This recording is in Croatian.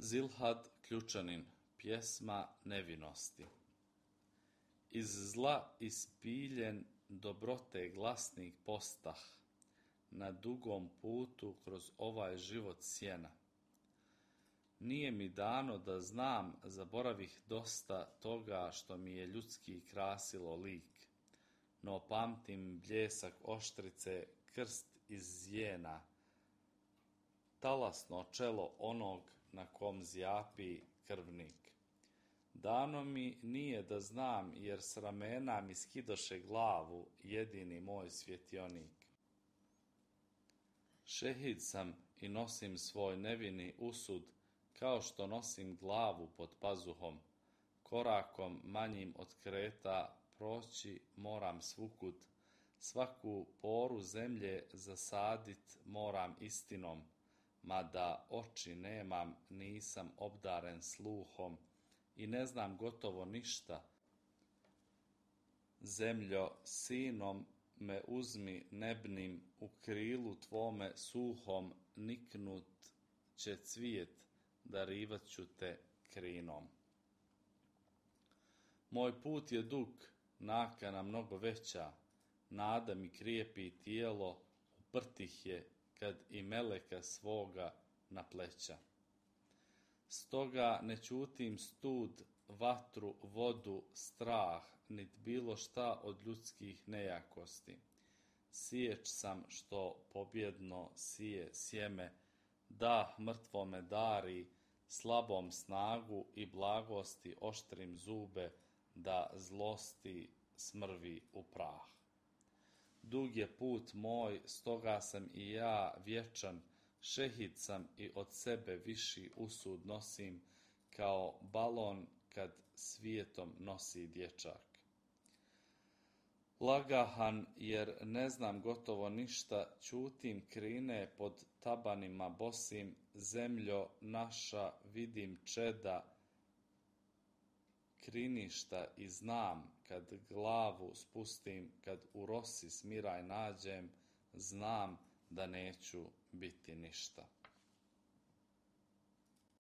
Zilhad Ključanin, pjesma nevinosti. Iz zla ispiljen dobrote glasnik postah, na dugom putu kroz ovaj život sjena. Nije mi dano da znam, zaboravih dosta toga što mi je ljudski krasilo lik, no pamtim bljesak oštrice, krst iz zjena, talasno čelo onog na kom zjapi krvnik. Dano mi nije da znam, jer s ramena mi skidoše glavu jedini moj svjetionik. Šehid sam i nosim svoj nevini usud, kao što nosim glavu pod pazuhom. Korakom manjim od kreta proći moram svugud, svaku poru zemlje zasadit moram istinom, mada oči nemam, nisam obdaren sluhom i ne znam gotovo ništa. Zemljo, sinom me uzmi nebnim, u krilu tvome suhom niknut će cvijet, darivat ću te krinom. Moj put je dug, nakana mnogo veća, nada mi krijepi tijelo, uprtih je kad i meleka svoga na pleća. Stoga ne čutim stud, vatru, vodu, strah, nit bilo šta od ljudskih nejakosti. Siječ sam što pobjedno sije sjeme, dah mrtvome dari, slabom snagu i blagosti oštrim zube, da zlosti smrvi u prah. Dug je put moj, stoga sam i ja vječan, šehid sam i od sebe viši usud nosim, kao balon kad svijetom nosi dječak. Lagahan, jer ne znam gotovo ništa, čutim krine pod tabanima bosim, zemljo naša vidim čeda, kriništa i znam, kad glavu spustim, kad u rosi smiraj nađem, znam da neću biti ništa.